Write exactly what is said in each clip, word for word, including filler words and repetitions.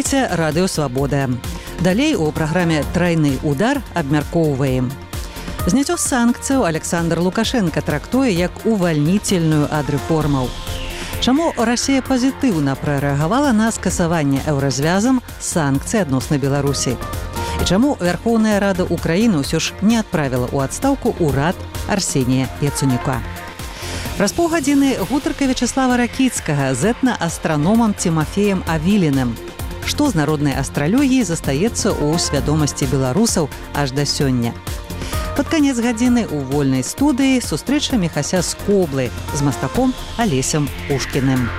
Слухаеце радыё Свабода. Далей у праграме «Трайны удар» абмяркоўваем. Зняццё санкцыяў Александр Лукашенко трактуе як увальнительную ад рэформаў. Чаму Расія пазітыўна прарэагавала на скасаванне еўразвязам санкцый адносна Беларусі? І чаму Верховная Рада Украіны ўсё ж не адправіла ў адстаўку ўрад Арсенія Яценюка? Праз паўгадзіны гутарка Вячеслава Ракіцкага з этна-астраномам Тимофеем Авіліным. Што з народнай астралогіяй застаецца ў свядомасці беларусаў аж да сёння? Пад канец гадзіны ў вольнай студыі сустрэча Міхася Скоблы з мастаком Алесем Пушкіным.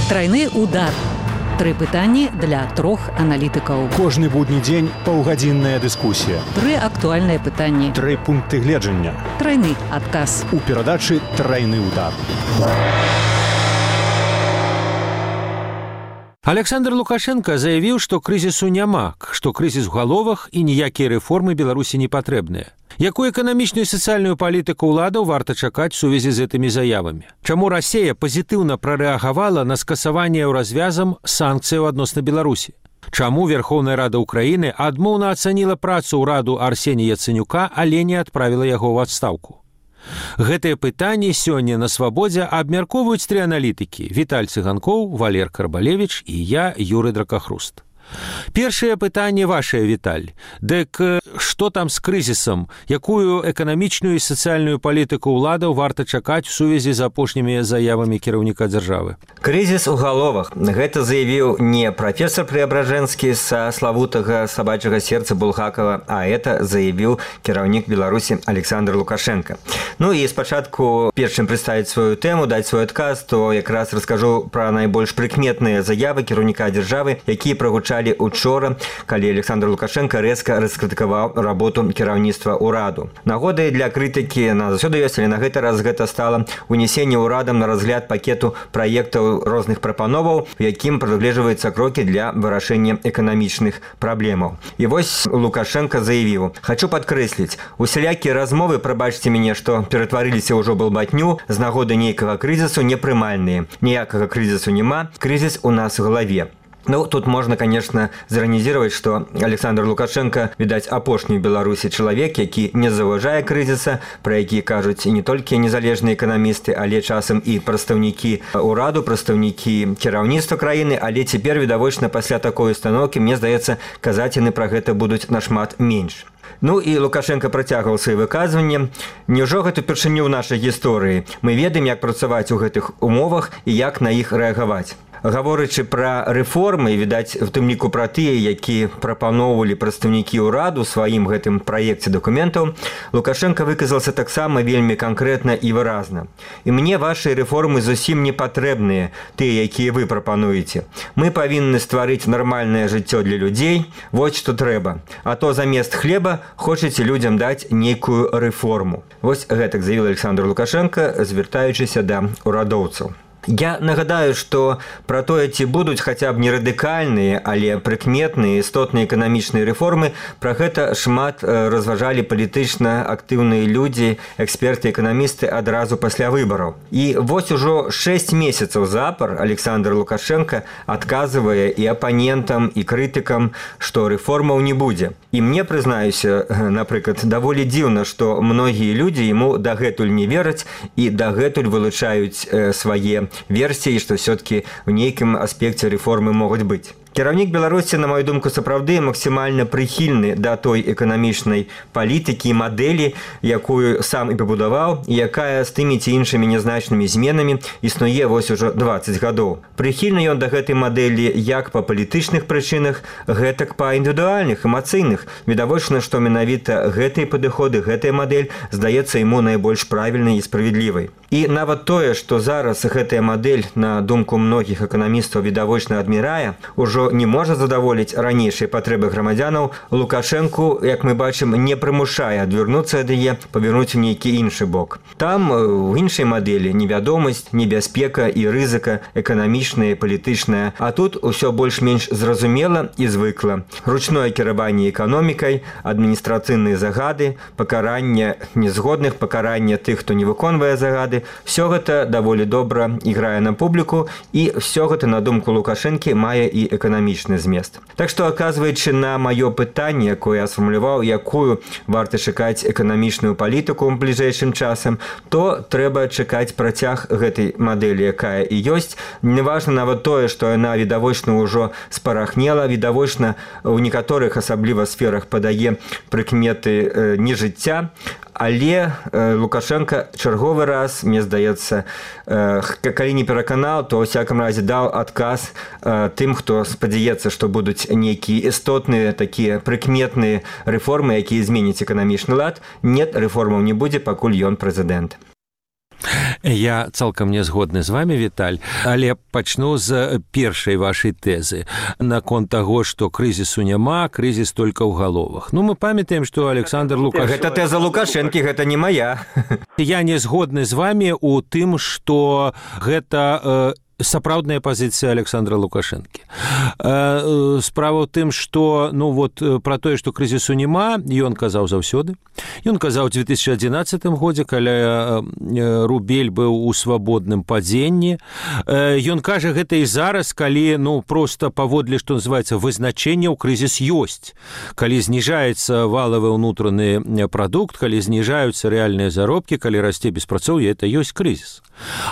Трайны удар. Тры пытанні для трох аналітыкаў. Кожны будні дзень паўгадзінная дыскусія. Тры актуальныя пытанні. Тры пункты гледжання. Трайны адказ. У перадачы «Трайны удар». Александр Лукашенко заявіў, што крызісу няма, што крызіс у галовах і ніякія рэформы Беларусі не патрэбныя. Якую эканамічную і сацыяльную палітыку ўладаў варта чакаць у сувязі з гэтымі заявамі? Чаму Расія пазітыўна прарэагавала на скасаванне еўразвязам санкцыяў адносна Беларусі? Чаму Верховная Рада Украіны адмоўна ацаніла працу ўраду Арсенія Яценюка, але не адправіла яго ў адстаўку? Гэтыя пытанні сёння на Свабодзе абмяркоўваюць тры аналітыкі: Віталь Цыганкоў, Валер Карбалевіч і я, Юрый Дракахруст. Першае пытанне вашае, Віталь. Дык што там з крызісам? Якую эканамічную і сацыяльную палітыку ўладаў варта чакаць у сувязі з апошнімі заявамі кіраўніка дзяржавы? Крызіс у галовах. Гэта заявіў не прафесор Преабражэнскі са славутага сабачага сердца Булгакова, а это заявіў кіраўнік Беларусі Александр Лукашенко. Ну і спачатку, перш чым прадставіць сваю тэму, даць свой адказ, то якраз раскажу пра найбольш прыкметныя заявы кіраўніка дзяржавы, якія прагучалі учора, калі Александр Лукашенко рэзка раскрытыкаваў работу кіраўніцтва ўраду. Нагодай для крытыкі на заўсёды ёсць, але на гэты раз гэта стала унесенне ўрадам на разгляд пакету праектаў розных прапановаў, у якім прадугледжваюцца крокі для вырашэння эканамічных праблемаў. І вось Лукашенко заявіў: «Хачу падкрэсліць, усялякія размовы, прабачце мяне, што ператварыліся ўжо балбатню з нагоды нейкага крызісу, непрымальныя. Ніякага крызісу няма, крызіс у нас в галаве». Ну, тут можно, конечно, заранізировать, что Александр Лукашенко, видать, апошні ў Беларусі чалавек, які не заўважае крызіса, пра які кажуць не толькі незалежныя эканамісты, але часам і прадстаўнікі ўраду, прадстаўнікі кіраўніцтва краіны, але цяпер, відавочна, пасля такой установкі, мне здаецца, казаць яны пра гэта будуць нашмат менш. Ну і Лукашенко працягваў свае выказванні. Няўжо гэта упершыню ў нашай гісторыі? Мы ведаем, як працаваць у гэтых умовах і як на іх рэагаваць. Гаворачы пра рэформы, відаць, у тым ліку пра тыя, які прапаноўвалі прадстаўнікі ўраду сваім гэтым праекце дакументаў, Лукашенко выказаўся таксама вельмі канкрэтна і выразна. «І мне вашыя рэформы зусім не патрэбныя, тыя, якія вы прапануеце. Мы павінны стварыць нармальнае жыццё для людзей, вось што трэба. А то замест хлеба хочаце людзям даць нейкую рэформу». Вось гэтак заявіў Александр Лукашенко, звяртаючыся да ўрадоўцаў. Я нагадаю, што пра тое, ці будуць хаця б не радыкальныя, але прыкметныя істотныя эканамічныя рэформы, пра гэта шмат разважалі палітычна актыўныя людзі, эксперты, эканамісты адразу пасля выбараў. І вось ужо шэсць месяцаў запар Александр Лукашенко адказвае і апанентам, і крытыкам, што рэформаў не будзе. І мне, прызнаюся, напрыклад, даволі дзіўна, што многія людзі яму дагэтуль не вераць і дагэтуль вылучаюць свае версіі, што все-таки в нейкім аспекце рэформы могуць быць. Кіраўнік Беларусі, на мою думку, сапраўды максімальна прыхільны да той эканамічнай палітыкі і мадэлі, якую сам і пабудаваў, і якая з тымі ці іншымі нязначнымі зменамі існуе вось ужо дваццаць гадоў. Прыхільны ён да гэтай мадэлі як па палітычных прычынах, гэтак па індывідуальных, эмацыйных. Відавочна, што менавіта гэтыя падыходы, гэтая мадэль здаецца яму найбольш правільнай і справядлівай. І нават тое, што зараз гэтая мадэль, на думку многіх эканамістаў, відавочна адмірае, ужо ўжо не можа задаволіць ранейшыя патрэбы грамадзянаў, Лукашэнку, як мы бачым, не прымушае адвярнуцца ад яе, павярнуць у нейкі іншы бок. Там у іншай мадэлі невядомасць, небяспека і рызыка эканамічная, палітычная, а тут усё больш-менш зразумела і звыкла. Ручное кіраванне эканомікай, адміністрацыйныя загады, пакаранне незгодных, пакаранне тых, хто не выконвае загады, все гэта даволі добра іграе на публіку, і все гэта, на думку Лукашэнкі, мае і эканамічны змест. Так што, аказваючы на маё пытанне, якое я сфармуляваў, якую варта чакаць эканамічную палітыку ў бліжэйшым часам, то трэба чакаць працяг гэтай мадэлі, якая і ёсць. Неважна нават тое, што яна відавочна ўжо спарахнела, відавочна ў некаторых асабліва сферах падае прыкметы нежыцця, але Лукашенко чарговы раз, мне здаецца, калі не пераканаў, то ў всяком разе даў адказ тым, хто спадзяецца, што будуць нейкія істотныя такія прыкметныя рэформы, якія зменяць эканамічны лад. Нет, рэформаў не будзе, пакуль ён прэзідэнт. Я цалкам не згодны з вами, Віталь, але пачну з першай вашай тэзы наконт таго, што крызісу няма, крызіс толькі ў галовах. Ну, мы памятаем, што Александр Лукашенко... Гэта тэза Лукашэнкі, гэта не мая. Я не згодны з вами у тым, што гэта... сапраўдная пазіцыя Александра Лукашэнкі. Справа ў тым, што ну вот пра тое, што крызісу няма, ён казаў заўсёды. Ён казаў у две тысячи адзінаццатым годзе, калі рубель быў у свабодным падзенні. Ён кажа гэта і зараз, калі ну проста паводле, што называецца, вызначэнне ў крызіс ёсць. Калі зніжаецца валавы ўнутраны прадукт, калі зніжаюцца рэальныя заробкі, калі расце беспрацоўе, это ёсць крызіс.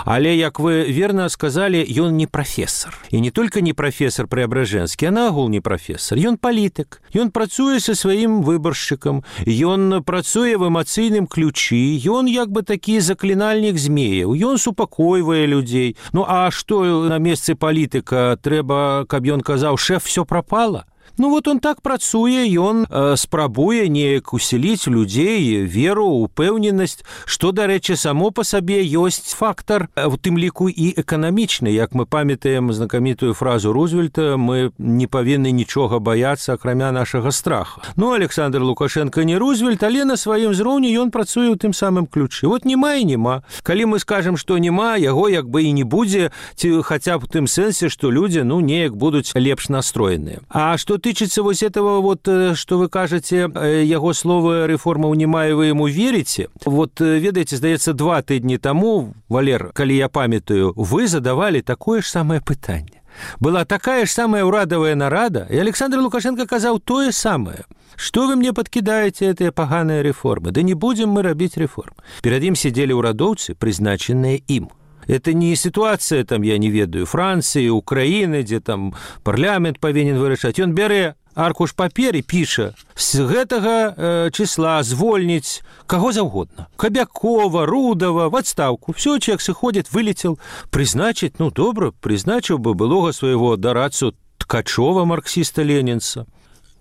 Але, як вы верна сказалі, ён не прафесор. І не толькі не прафесор Преображэнскі, а нагул не прафесор. Ён палітык. Ён працуе са сваім выбаршчыкам. Ён працуе в эмацыйным ключы. Ён як бы такі заклінальнік змеяў. Ён супакойвае людзей. Ну, а што на месцы палітыка трэба, каб ён казаў, шэф, всё прапала? Ну вот он так працуе, ён э, спрабуе неяк усіліць людзей веру, упэўненасць, што, дарэчы, само па сабе ёсць фактар, у тым ліку і эканамічны. Як мы памятаем знакамітую фразу Рузвельта, мы не павінны нічога баяцца, акрамя нашага страха. Ну, Александр Лукашенко не Рузвельт, але на сваім зроўні ён працуе ў тым самым ключы. Вот няма і няма. Калі мы скажам, што няма, яго як бы і не будзе, ці хаця б у тым сэнсе, што людзі, ну, неяк будуць лепш настроеныя. А што тычыцца вось этого, вот, что вы кажаце, яго словы рэформаў няма, і вы ему верите. Вот, ведаеце, здаецца, два тыдні таму, Валер, калі я памятаю, вы задавали такое ж самае пытанне. Была такая ж самая ўрадавая нарада, і Александр Лукашенко казаў тое самае. Что вы мне подкидаете этыя паганыя рэформы? Да не будем мы рабіць рэформ. Перад ім сидели ўрадоўцы, прызначаныя ім. Это не ситуация, там, я не ведаю, Франции, Украины, где там парламент павінен вырашаць. Ён бярэ аркуш паперы, піша, з гэтага э, числа звольніць каго заўгодна. Кабякова, Рудова, в отставку. Все, человек сыходит, вылетел. Призначить, ну, добра, призначил бы былога своего дарацу Ткачова, марксіста-ленінца.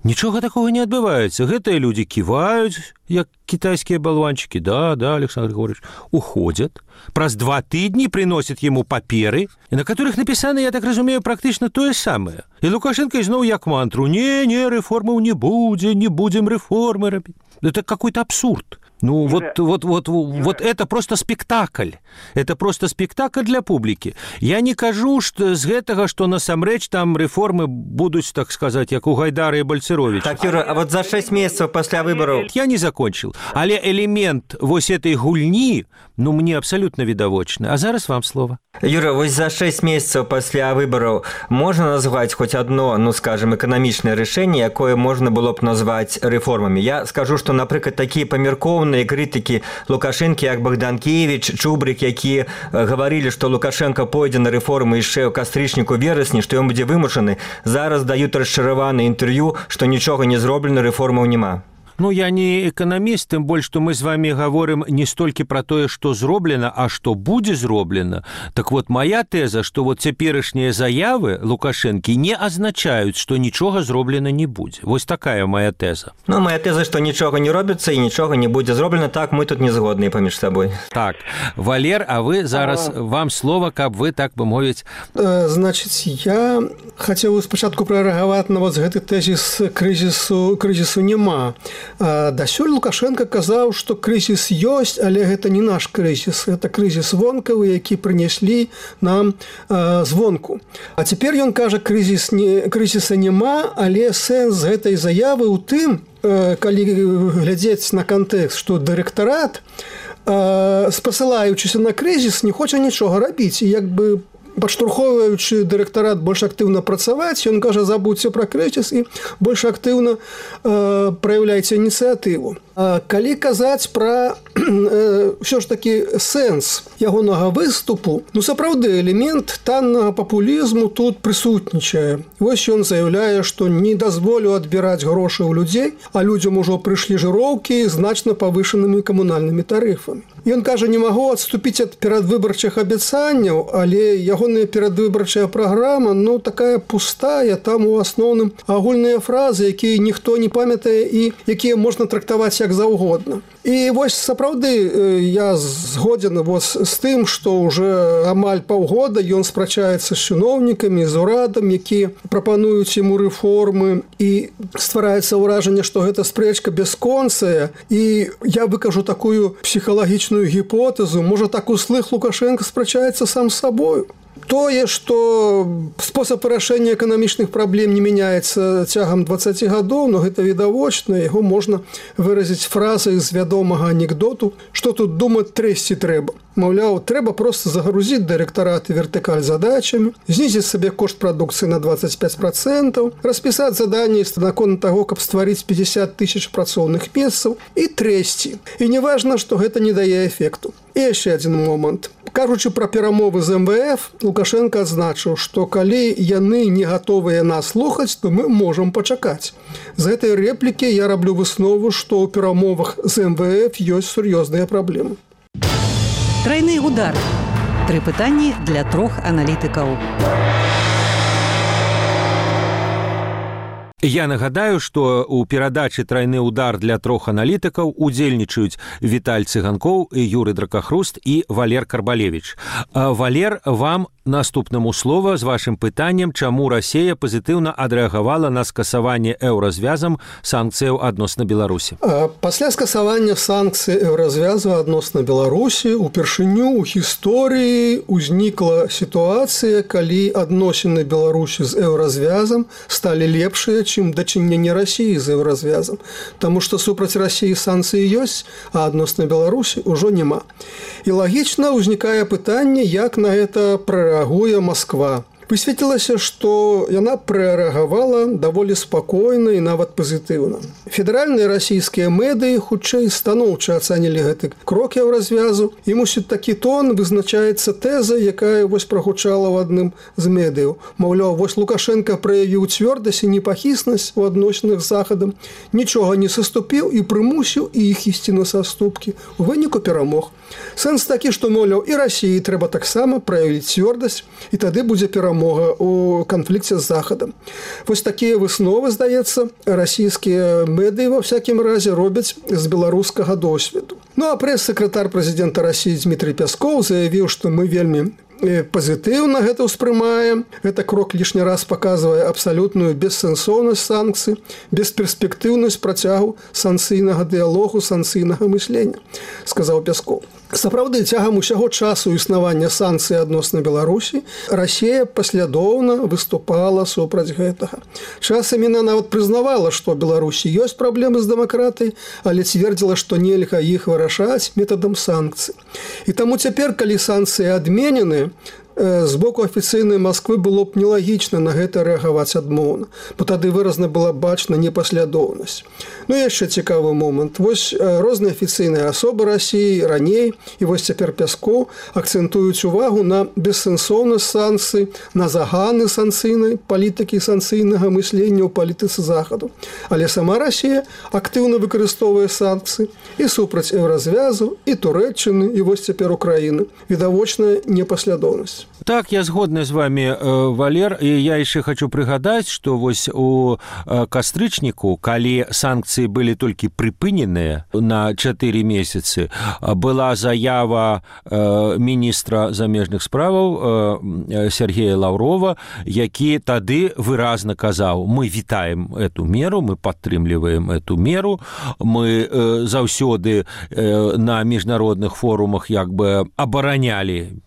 Нічога такого не адбываецца. Гэтыя людзі ківаюць, як кітайскія балванчыкі. Да, да, Александр Григорьевич, уходят. Праз два тыдні приносят ему паперы, на которых написано, я так разумею, практычна тое самае. І Лукашенко ізноў як мантру: не, не, рэформаў не будзе, не будзем рэформы рабіць. Это какой-то абсурд. Ну, вот, вот, вот, вот это просто спектакль. Это просто спектакль для публікі. Я не кажу што з гэтага, што насамрэч там рэформы будуць, так сказаць, як у Гайдара і Бальцеровича. Так, Юра, а вот за шесть месяцев пасля выбораў... Я не закончил. Але элемент вось этой гульні, ну, мне абсолютно відавочны. А зараз вам слово. Юра, вось за шесть месяцев пасля выбораў можна назваць хоць одно, ну, скажем, эканамічнае рашэнне, якое можна было б назваць рэформамі. Я скажу, што, напрыклад, такія памяркоўныя крытыкі Лукашэнкі, як Богданкевич, Чубрик, якія гаварылі, што Лукашенко пойдзе на рэформы яшчэ ў кастрычніку, верасні, што ён будзе вымушаны, зараз даюць расчараванае інтэрв'ю, што нічога не зроблена, рэформаў няма. Ну, я не эканаміст, тым больш, што мы з вами гаворым не столькі пра тое, што зроблена, а што будзе зроблена. Так вот, моя тэза, што вот цяперашнія заявы Лукашэнкі не азначаюць, што нічога зроблена не будзе. Вось такая моя тэза. Ну, моя тэза, што нічога не робіцца і нічога не будзе зроблена, так мы тут не згодныя паміж сабой. Так, Валер, а вы зараз, а... вам слова, каб вы, так бы мовіць... Значыць, я хацеў спачатку прарэагаваць на вот гэты тэзіс крызісу, крызісу няма. Дасюль Лукашенко казаў, што крызіс ёсць, але гэта не наш крызіс. Гэта крызіс вонкавы, які прынеслі нам э, звонку. А цяпер ён кажа, крызіс не, крызіса няма, але сэнс гэтай заявы ў тым, э, калі глядзець на кантэкст, што дырэктарат, э, спасылаючыся на крызіс, не хоча нічога рабіць. І як бы падштурхоўваючы дырэктарат больш актыўна працаваць, ён кажа, забудзьце пра крызіс і больш актыўна э, праяўляйце ініцыятыву. А калі казаць пра э, ўсё ж такі сэнс ягонага выступу, ну сапраўды элемент таннага папулізму тут прысутнічае. Вось ён заяўляе, што не дазволю адбіраць грошы ў людзей, а людзям ужо прыйшлі жыроўкі значна павышанымі камунальнымі тарыфамі. Ён кажа, не магу адступіць ад перадвыбарчых абяцанняў, але ягоная перадвыбарчая праграма, ну, такая пустая, там у асноўным агульныя фразы, якія ніхто не памятае і якія можна трактаваць як заўгодна. І вось сапраўды я згодзен з тым, што ўжо амаль паўгода ён спрачаецца з чыноўнікамі, з урадам, якія прапануюць яму рэформы, і ствараецца ўражанне, што гэта спрэчка бясконцая. І я выкажу такую псіхалагічную гіпотэзу, можа, так услых Лукашенко спрачаецца сам з сабою. Тое, што спосаб вырашэння эканамічных праблем не мяняецца цягам дваццаці гадоў, но гэта відавочна, яго можна выразіць фразай з вядомага анекдоту, што тут думаць трэсці трэба. Маўляў, трэба проста загрузіць дырэктарат і вертыкаль задачамі, знізіць сабе кошт прадукцыі на дваццаць пяць працэнтаў, распісаць заданні наконт таго, каб стварыць пятьдесят тысяч працоўных месцаў і трэсці. І не важна, што гэта не дае эфекту. І яшчэ адзін момант. Кажучы пра перамовы з эм вэ эф, Лукашенко адзначыў, што калі яны не гатовыя нас слухаць, то мы можам пачакаць. З гэтай рэплікі я раблю выснову, што ў перамовах з эм вэ эф ёсць сур'ёзныя праблемы. Трайны удар. Тры пытанні для трох аналітыкаў. Я нагадаю, што ў перадачы «Трайны удар» для трох аналітыкаў удзельнічаюць Віталь Цыганкоў, Юрый Дракахруст і Валер Карбалевіч. Валер, вам наступнаму слова з вашым пытаннем, чаму Расія пазітыўна адрэагавала на скасаванне еўразвязам санкцыяў адносна Беларусі. Пасля скасавання санкцый еўразвязу адносна Беларусі упершыню ў гісторыі ўзнікла сітуацыя, калі адносіны Беларусі з еўразвязам сталі лепшыя, чым дачыненне Расіі з еўразвязам. Таму што супраць Расіі санкцыі ёсць, а адносна Беларусі ўжо няма. І лагічна ўзнікае пытанне, як на гэта прарэагуе Масква. Высветлілася, што яна прарэагавала даволі спакойна і нават пазітыўна. Федэральныя расійскія медыі хутчэй станоўча ацанілі гэты крок еўразвязу, і, мусіць, такі тон вызначаецца тэза, якая вось прагучала ў адным з медыяў. Маўляў, вось Лукашенко праявіў цвёрдасць і непахіснасць у адносінах з Захадам, нічога не саступіў і прымусіў іх ісці на саступкі. У выніку перамог. Сэнс такі, што, маўляў, і Расіі трэба таксама праявіць цвёрдасць, і тады будзе перамог у канфлікце з Захадам. Вось такія высновы, здаецца, расійскія медыі ва всякім разе робяць з беларускага досведу. Ну, а прэс-сакратар прэзідэнта Расіі Дмітрый Пяскоў заявіў, што мы вельмі пазітыўна гэта ўспрымаем. Гэта крок лішні раз паказвае абсалютную бессэнсоўнасць санкцый, бесперспектыўнасць працягу санкцыйнага дыялогу, санкцыйнага мыслення, сказаў Пяскоў. Сапраўды, цягам усяго часу існавання санкцый адносна Беларусі Расія паслядоўна выступала супраць гэтага. Часам яна нават прызнавала, што ў Беларусі ёсць праблемы з дэмакратыяй, але цвердзіла, што нельга іх вырашаць метадам санкцый. І таму цяпер, калі санкцыі адменены, з боку афіцыйнай Масквы было б нелагічна на гэта рэагаваць адмоўна, бо тады выразна была бачна непаслядоўнасць. Ну і яшчэ цікавы момант. Вось розныя афіцыйныя асобы Расіі раней і вось цяпер Пяскоў акцэнтуюць увагу на бессэнсоўнасць санкцый, на заганы санкцыйнай палітыкі, санкцыйнага мыслення ў палітыцы захаду. Але сама Расія актыўна выкарыстоўвае санкцыі і супраць еўразвязу, і Турэччыны, і вось цяпер Украіны. Відавочная непаслядоўнасць. Так, я згодны з вами, Валер, і я яшчэ хочу прыгадаць, што вось у кастрычніку, калі санкцыі былі толькі прыпыненыя на чатыры месяцы, была заява міністра замежных справаў Сергея Лаўрова, які тады выразна казаў: мы вітаем эту меру, мы падтрымліваем эту меру, мы заўсёды на міжнародных форумах як бы абаранялі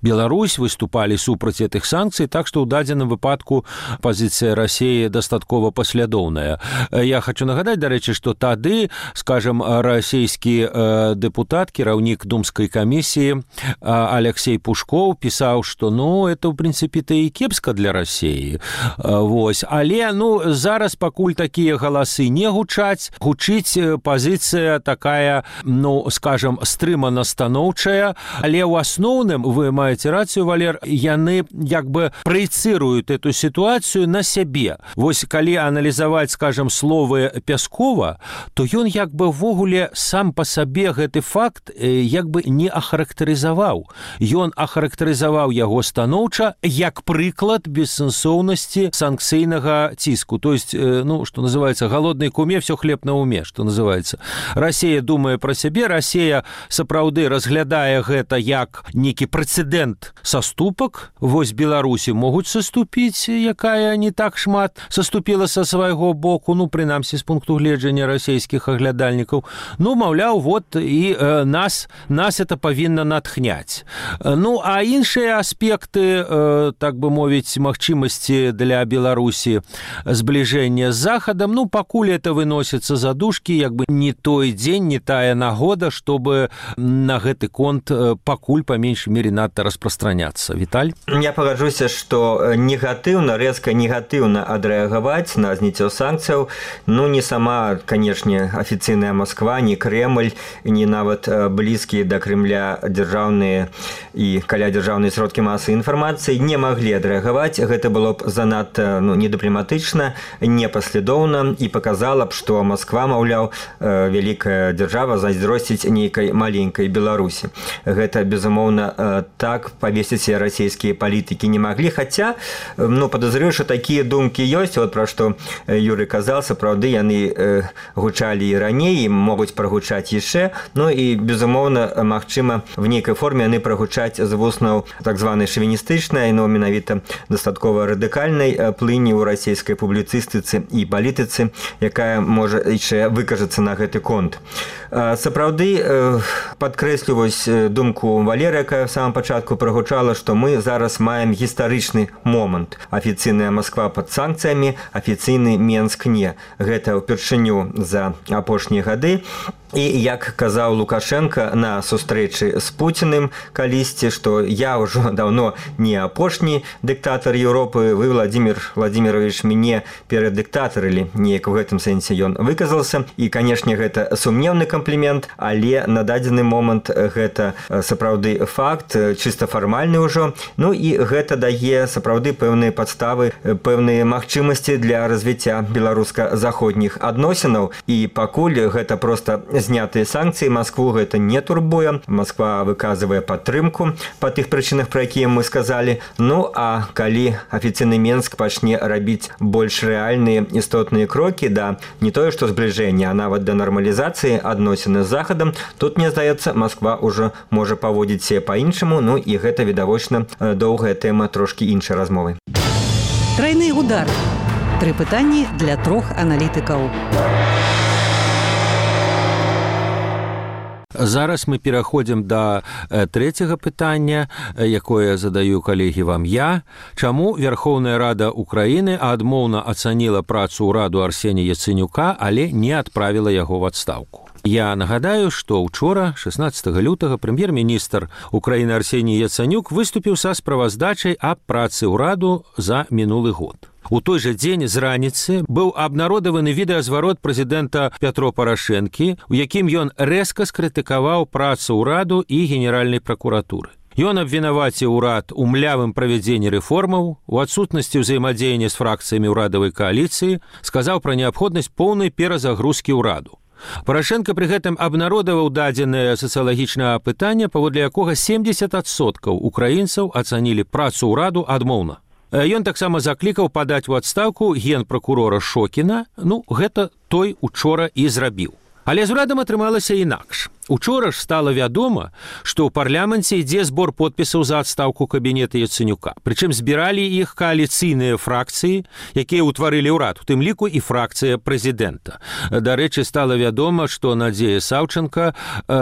Беларусь, выступали супраць этих санкцый, так что ў дадзеным выпадку пазіцыя России дастаткова паслядоўная. Я хочу нагадаць, дарэчы, што тады, скажем, расійскі депутат, кіраўнік думскай камісіі Алексей Пушков пісаў, што ну, это, в принципе-то, і кепска для России. Вось. Але, ну, зараз пакуль такія галасы не гучаць, гучыць пазіцыя такая, ну, скажем, стрымана-станоўчая, але ў асноўным вы маеце маеце рацыю, Валер, яны як бы праецыруюць эту сітуацыю на сябе. Вось калі аналізаваць, скажем, словы Пяскова, то ён як бы ввогуле сам па сабе гэты факт як бы не ахарактарызаваў. Ён ахарактарызаваў яго станоўча як прыклад бессэнсоўнасці санкцыйнага ціску. То есть, ну, што называецца, голоднай куме всё хлеб на уме, што называецца. Расія думае пра сябе, Расія сапраўды разглядае гэта як некі прэцэдэнт саступак. Вось Беларусі могуць саступіць, якая не так шмат саступіла са свайго боку, ну, прынамсі, з пункту гледжання расійскіх аглядальнікаў. Ну, маўляў, вот, і э, нас, нас это павінна натхняць. Ну, а іншыя аспекты, э, так бы мовіць, магчымасці для Беларусі збліжэння з Захадам, ну, пакуль это выносіцца за дужкі, як бы не той дзень, не тая нагода, чтобы на гэты конт пакуль па меншай мере надта распространяться. Виталь? Я пагажуся, што негатыўна, рэзка негатыўна адрэагаваць на зніццё санкцыяў, ну, не сама, канешне, афіцыйная Москва, не Кремль, не нават блізкія да Кремля дзяржаўныя і калядзяржаўныя сродкі масавай інфармацыі не маглі адрэагаваць. Гэта было б занадта, ну, недыпламатычна, непаслядоўна і паказала б, што Москва, маўляў, вялікая дзяржава зайздросціць нейкай маленькай Беларусі. Гэта, безумоўна, так павесіць расійскія палітыкі не маглі, хаця, ну, падазрюю, што такія думкі ёсць, вот пра што Юрый казаў, сапраўды яны э, гучалі і раней, і могуць прагучаць яшчэ, ну і, безумоўна, магчыма, в нейкай форме яны прагучаць з вуснаў так званай шавіністычнай, но менавіта дастаткова радыкальнай плыні ў расійскай публіцыстыцы і палітыцы, якая можа яшчэ выкажацца на гэты конт. Сапраўды, э, падкрэсліваюсь думку Валеры, якая в самом пачатку прагучала, што мы зараз маем гістарычны момант. Афіцыйная Москва пад санкцыямі, афіцыйны Менск не. Гэта ўпершыню за апошнія гады. І, як казаў Лукашенко на сустрэчы з Пуціным калісьці, што я ўжо даўно не апошні дыктатар Еўропы, вы, Владимир Владимирович, мяне перадыктатарылі. Неяк у гэтым сэнсе ён выказался. І, канешне, гэта сумнеўны камплімент, але на дадзены момант гэта сапраўды факт, чыста фармальны ўжо. Ну і гэта дае сапраўды пэўныя падставы, пэўныя магчымасці для развіцця беларуска-заходніх адносінаў. І пакуль гэта проста знятыя санкцыі, Маскву гэта не турбуе. Масква выказвае падтрымку па тых прычынах, пра якія мы сказалі. Ну, а калі афіцыйны Менск пачне рабіць больш рэальныя істотныя крокі да не тое, што збліжэння, а нават да нармалізацыі адносіны з Захадам, тут, мне здаецца, Масква ўжо можа паводзіць себе па-іншаму, ну і гэта, відавочна, доўгая тэма трошкі іншай размовы. Трайны удар. Тры пытанні для трох аналітыкаў. Зараз мы пераходзім да трэцяга пытання, якое задаю, калегі, вам я. Чаму Верховная Рада Украіны адмоўна ацаніла працу ўраду Арсенія Яцэнюка, але не адправіла яго ў адстаўку? Я нагадаю, што ўчора шаснаццатага лютага прэм'ер-міністр Украіны Арсеній Яцанюк выступіў са справаздачай аб працы ўраду за мінулы год. У той жа дзень з раніцы быў абнародаваны відэазварот прэзідэнта Пятро Парашэнкі, у якім ён рэзка скрытыкаваў працу ўраду і генеральнай пракуратуры. Ён абвінаваціў урад у млявым правядзенні рэформаў, у адсутнасці ўзаемадзеяння з фракцыямі ўрадавай кааліцыі, сказаў пра неабходнасць поўнай перазагрузкі ўраду. Парашэнка пры гэтым абнародаваў дадзенае сацыялагічнае апытанне, паводле якога семдзесят адсоткаў украінцаў ацанілі працу ўраду адмоўна. Ён таксама заклікаў падаць у адстаўку генпракурора Шокіна, ну, гэта той учора і зрабіў. Але з урадам атрымалася інакш. Учора ж стала вядома, што ў парламенце ідзе збор подпісаў за адстаўку кабінета Яценюка. Прычым збіралі іх кааліцыйныя фракцыі, якія ўтварылі ўрад, у тым ліку і фракцыя прэзідэнта. Дарэчы, стала вядома, што Надзея Саўчанка, э,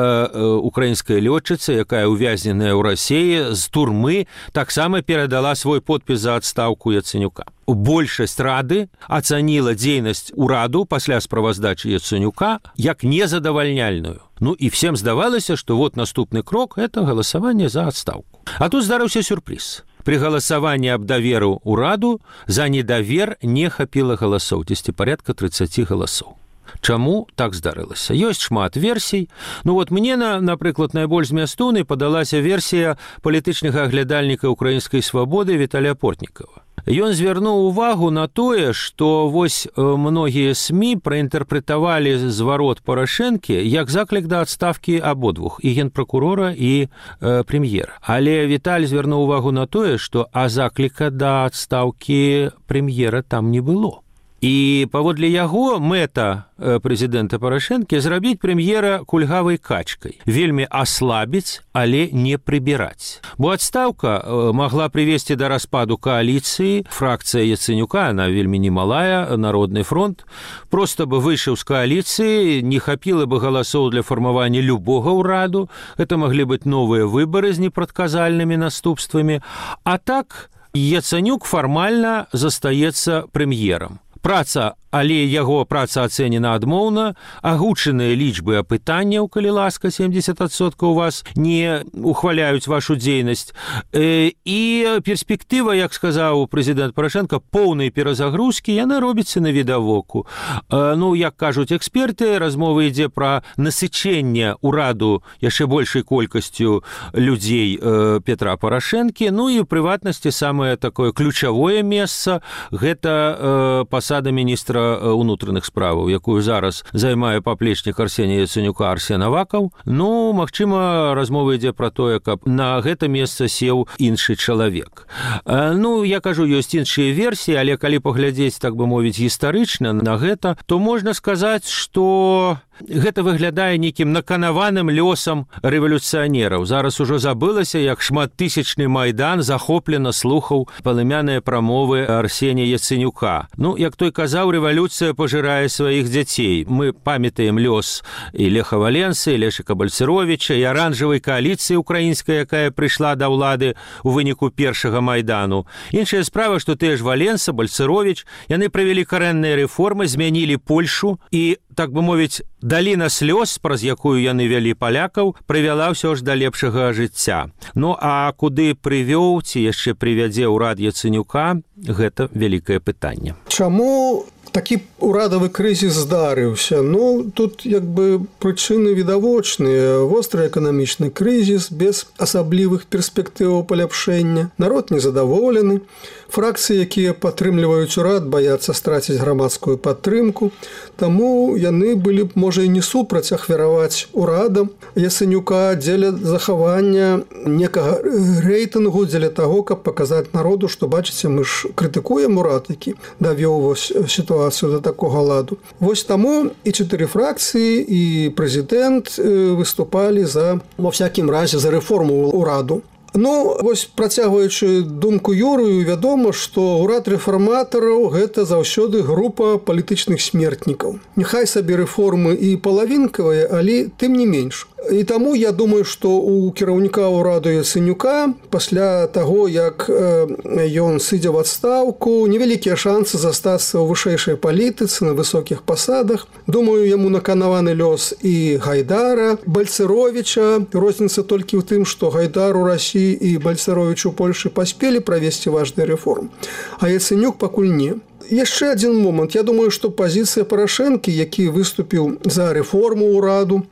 украінская лётчыца, якая ўвязненая ў Расіі, з турмы таксама перадала свой подпіс за адстаўку Яценюка. Большасць рады ацаніла дзейнасць ураду пасля справаздачы Яценюка як незадавальняльную. Ну і всем здавалася, што вот наступны крок – это галасаванне за адстаўку. А тут здарыўся сюрпрыз. Пры галасаванні аб даверу ўраду за недавер не хапіла галасоў, дзесьці парядка тридцать галасоў. Чаму так здарылася? Ёсць шмат версій. Ну вот мне, на, напрыклад, найбольш змястоўнай падалася версія палітычнага аглядальніка украінскай свабоды Віталія Портнікава. Ён звярнуў увагу на тое, што вось многія СМІ праінтэрпрэтавалі зварот Парашэнкі як заклік да адстаўкі абодвух, і генпракурора, і э, прэм'ера. Але Віталь звярнуў увагу на тое, што а закліка да адстаўкі прэм'ера там не было. І паводле яго мэта прэзідэнта Парашэнкі зрабіць прэм'ера кульгавай качкай, вельмі аслабіць, але не прыбіраць. Бо адстаўка магла прывесці да распаду кааліцыі, фракцыя Яценюка, она вельмі немалая, Народны фронт, проста бы выйшаў з кааліцыі, не хапіла бы галасоў для фармавання любога ўраду, гэта маглі быць новыя выбары з непрадказальнымі наступствамі, а так Яценюк фармальна застаецца прэм'ерам. Праца, але яго праца ацэнена адмоўна, агучаныя лічбы апытанняў, калі ласка, семьдесят адсоткаў у вас не ухваляюць вашу дзейнасць. І перспектыва, як сказаў прэзідэнт Парашэнка, поўнай перазагрузкі, яна робіцца на відавоку. Ну, як кажуць эксперты, размова ідзе пра насычэнне ўраду яшчэ большай колькасцю людзей Петра Парашэнкі. Ну і ў прыватнасці самае такое ключавое месца – гэта пасада міністра унутраных справаў, якую зараз займае паплечнік Арсенія Яценюка Арсен Авакаў. Ну, магчыма, размова ідзе пра тое, каб на гэта месца сеў іншы чалавек. Ну, я кажу, ёсць іншыя версіі, але калі паглядзець, так бы мовіць, гістарычна на гэта, то можна сказаць, што гэта выглядае нейкім наканаваным лёсам рэвалюцыянераў. Зараз ужо забылася, як шматтысячны Майдан захоплена слухаў палымяныя прамовы Арсенія Яценюка. Ну, як той казаў, рэвалюцыя пажырае сваіх дзяцей. Мы памятаем лёс і Леха Валенсы, і Лешыка Бальцыровіча, і аранжавай кааліцыі украінскай, якая прыйшла да ўлады ў выніку першага Майдану. Іншая справа, што тыя ж Валенса, Бальцыровіч, яны правялі карэнныя рэформы, змянілі Польшу і, так бы мовіць, даліна слёз, праз якую яны вялі палякаў, прывяла ўсё ж да лепшага жыцця. Ну, а куды прывёў ці яшчэ прывядзе ўрад Яценюка, гэта вялікае пытанне. Чаму такі урадавы крызіс здарыўся? Ну, тут як бы прычыны відавочныя. Востры эканамічны крызіс без асаблівых перспектываў паляпшэння. Народ незадаволены. Фракцыі, якія падтрымліваюць урад, баяцца страціць грамадскую падтрымку. Таму яны былі б, можа, і не супраць ахвяраваць урадам Яценюка дзеля захавання некага рэйтынгу, дзеля таго, каб паказаць народу, што, бачыце, мы ж крытыкуем урад, які давёў вось сітуацыю да такога ладу. Вось таму і чатыры фракцыі, і прэзідэнт выступалі за, ва всякім разе, за рэформу ўраду. Ну, вось працягваючы думку Юрыю, вядома, што ўрад рэфарматараў гэта заўсёды група палітычных смертнікаў. Няхай сабе рэформы і палавінкавыя, але тым не менш. І таму я думаю, што у кіраўніка ўраду Яцэнюка пасля таго, як ён сыдзе ў адстаўку, невялікія шансы застацца ў вышэйшай палітыцы на высокіх пасадах. Думаю, яму наканаваны лёс і Гайдара, Бальцэровіча. Розніца толькі ў тым, што Гайдар у Расіі і Бальцэровіч у Польшы паспелі правесці важныя рэформы, а Яцэнюк пакуль не. Яшчэ адзін момант. Я думаю, што пазіцыя Парашэнкі, які выступіў за рэформу ўраду,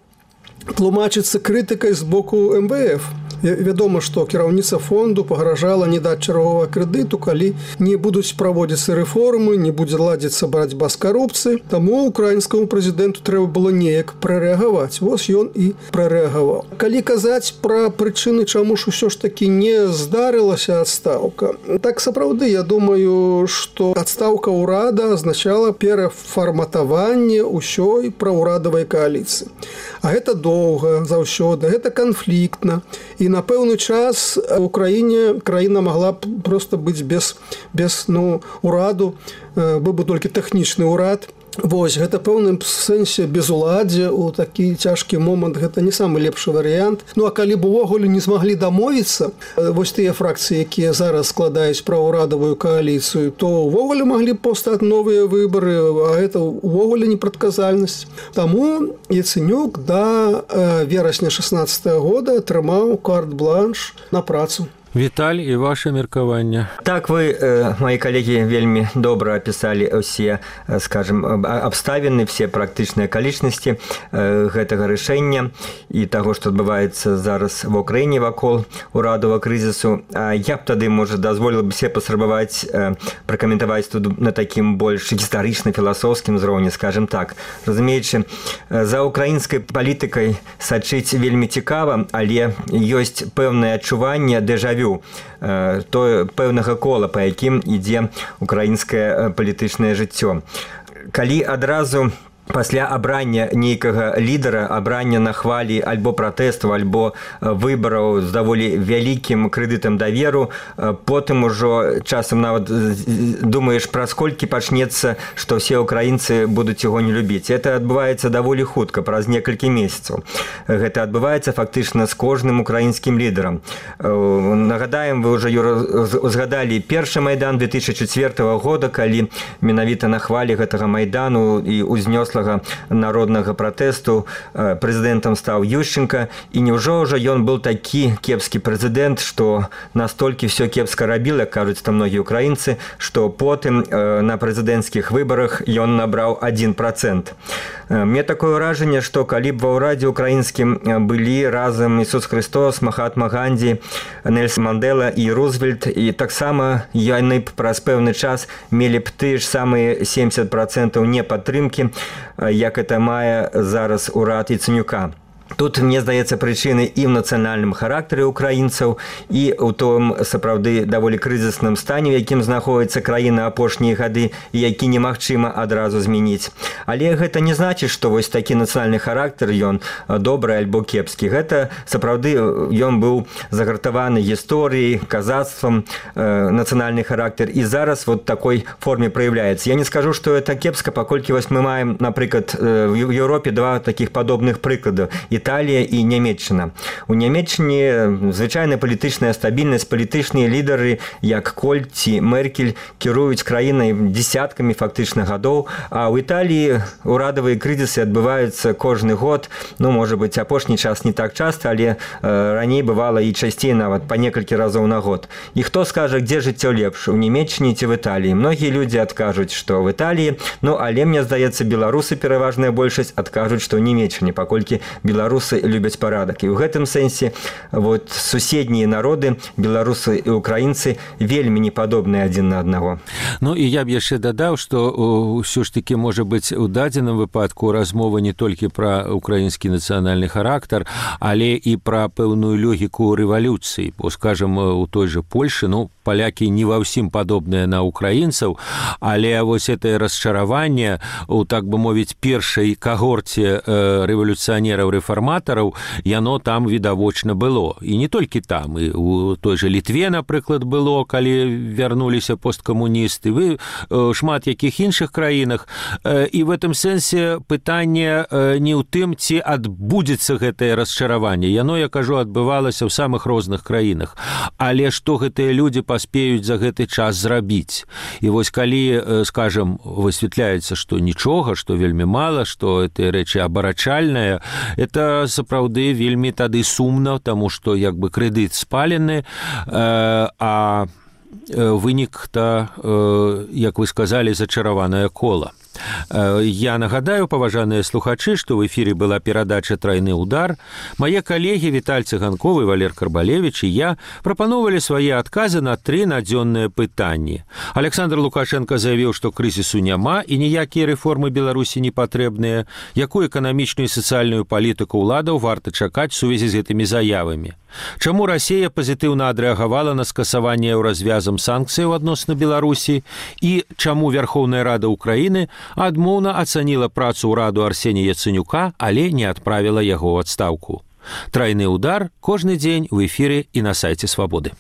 тлумачыцца крытыкай з боку эм вэ эф. Вядома, што кіраўніца фонду пагражала не даць чарговага крэдыту, калі не будуць праводзіцца рэформы, не будзе ладзіцца барацьба з карупцыяй. Таму украінскаму прэзідэнту трэба было неяк прарэагаваць. Вось ён і прарэагаваў. Калі казаць пра прычыны, чаму ж усё ж такі не здарылася адстаўка, так сапраўды, я думаю, што адстаўка ўрада азначала перафарматаванне ўсёй праўрадавай кааліцыі. А гэта доўга, заўсёды, гэта канфліктна. І на пэўны час у краіне краіна магла б проста быць без, без ну, ураду, быў бы толькі тэхнічны ўрад. Вось, гэта пэўным сэнсе безуладдзе у такі цяжкі момант, гэта не самы лепшы варыянт. Ну, а калі б увогуле не змаглі дамовіцца, вось тыя фракцыі, якія зараз складаюць праўрадавую кааліцыю, то увогуле маглі б паўстаць новыя выбары, а гэта увогуле непрадказальнасць. Таму Яцэнюк да верасня шаснаццатага года атрымаў карт-бланш на працу. Віталь, і ваше меркаванне. Так, вы, э, мои коллеги, вельмі добра описали все, э, скажем, обставины, все практычныя акалічнасці э, гэтага рашэння і таго, што адбываецца зараз в Украіне вакол урадавага крызісу. А я б тады, можа, дазволіла б себе паспрабаваць э, пракаментаваць тут на такім больш гістарычна-філасофскім узроўні, скажем так. Разумеючы, за украінскай палітыкай сачыць вельмі цікава, але ёсць пэўнае адчуванне дэжавю, то пэўнага кола, па якім ідзе украінскае палітычнае жыццё. Калі адразу пасля абрання нейкага лідара, абрання на хвалі альбо пратэсту, альбо выбараў з даволі вялікім крэдытам даверу, потым ужо часам нават думаеш, праз колькі пачнецца, што ўсе украінцы будуць яго не любіць. Это адбываецца даволі хутка, праз некалькі месяцаў. Гэта адбываецца фактычна з кожным украінскім лідарам. Нагадаем, вы ўжо, Юра, узгадалі першы майдан две тысячи чацвёртага года, калі менавіта на хвалі гэтага майдану і узнёс народнага пратэсту прэзідэнтам стаў Ющенка, і няўжо ўжо ён быў такі кепскі прэзідэнт, што настолькі ўсё кепска рабіл, як кажуць там многія украінцы, што потым на прэзідэнцкіх выбарах ён набраў адзін працэнт. Мне такое ўражанне, што калі б ва ўрадзе украінскім былі разам Ісус Христос, Махатма Ганді, Нельсон Мандела і Рузвельт, і таксама яны б праз пэўны час мелі б тыя ж самыя семьдесят процентаў непадтрымкі, як это мае зараз урад Яцэнюка. Тут, мне здаецца, прычыны і ў нацыянальным характары украінцаў, і ў том, сапраўды, даволі крызісным стане, у якім знаходіцца краіна апошнія гады, і які немагчыма адразу змяніць. Але гэта не значыць, што вось такі нацыянальны характар, ён добры альбо кепскі. Гэта, сапраўды, ён быў загартаваны гісторыяй, казацтвам, э, нацыянальны характар, і зараз вот такой форме праяўляецца. Я не скажу, што это кепска, паколькі вось мы маем, напрыклад, в Еўропе два такіх падобных прыклада – Італія і Нямецчына. У Нямецчыне звычайная палітычная стабільнасць, палітычныя лідары, як Коль ці Меркель, кіруюць краінай дзесяткамі фактычна гадоў, а ў Італіі урадавыя крызісы адбываюцца кожны год, ну, можа быць, апошні час не так часта, але э, раней бывала і часцей нават па некалькі разоў на год. І хто скажа, дзе жыццё лепш, у Нямецчыне ці в Італіі? Многія людзі адкажуць, што в Італіі, ну, але, мне здаецца, беларусы, пераважная большасць, адкажуць, што ў Нямецчыне, паколькі беларусы беларусы любяць парадак. І ў гэтым сэнсе вот суседнія народы, беларусы і украінцы, вельмі не падобныя адзін на аднаго. Ну і я б яшчэ дадаў, што ўсё ж такі можа быць у дадзеным выпадку размова не толькі пра украінскі нацыянальны характар, але і пра пэўную логіку рэвалюцыі. Бо, скажам, у той жа Польшы, ну, палякі не ва ўсім падобныя на украінцаў, але вось гэтае расчараванне у, так бы мовіць, першай кагорце рэвалюцыянераў-рэфарматараў рэфарматараў, яно там відавочна было. І не толькі там, і у той жа Літве, напрыклад, было, калі вярнуліся посткамуністы, вы шмат якіх іншых краінах. І в этом сэнсе пытанне не ў тым, ці адбудзецца гэтае расчараванне. Яно, я кажу, адбывалася ў самых розных краінах. Але што гэтыя людзі паспеюць за гэты час зрабіць? І вось калі, скажем, высвятляецца, што нічога, што вельмі мала, што гэтыя рэчы абарачальныя, это сапраўды вельмі тады сумна, таму што як бы крэдыт спалены, а вынік-то, як вы сказалі, зачараванае кола. Я нагадаю, паважаныя слухачы, што ў эфіры была перадача «Трайны удар». Мае калегі Віталь Цыганков і Валер Карбалевіч і я прапановалі свае адказы на тры надзённыя пытанні. Александр Лукашенко заявіў, што крызісу няма і ніякія рэформы Беларусі не патрэбныя. Якую эканамічную і сацыяльную палітыку ўладаў варта чакаць у сувязі з гэтымі заявамі? Чаму Расія пазітыўна адрэагавала на скасаванне еўразвязам санкцыяў адносна Беларусі? І чаму Верховная Рада Украіны адмоўна ацаніла працу ўраду Арсенія Яцэнюка, але не адправіла яго ў адстаўку? Трайны удар кожны дзень у эфіры і на сайце Свабоды.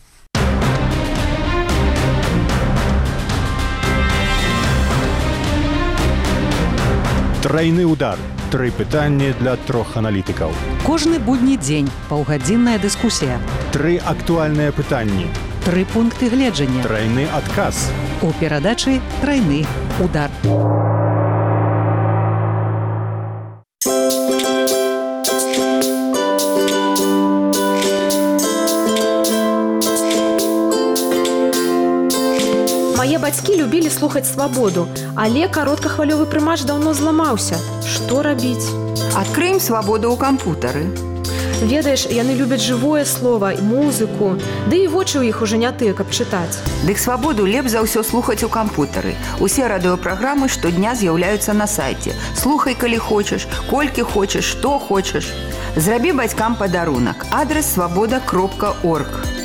Трайны удар. Тры пытанні для трох аналітыкаў. Кожны будні дзень паўгадзінная дыскусія. Тры актуальныя пытанні. Тры пункты гледжання. Трайны адказ. У перадачы «Трайны удар». Мае бацькі любілі слухаць «Свабоду», але кароткахвалёвы прымач даўно зламаўся. Што рабіць? Адкрыем «Свабоду» ў кампутары. Ведаеш, яны любяць жывое слова, музыку, ды і вочы ў іх ужо не тыя, каб чытаць. Дык «Свабоду» лепш за ўсё слухаць у кампутары. Усе радыёпраграмы штодня з'яўляюцца на сайце. Слухай, калі хочаш, колькі хочаш, што хочаш. Зрабі бацькам падарунак. Адрес свабода кропка орг.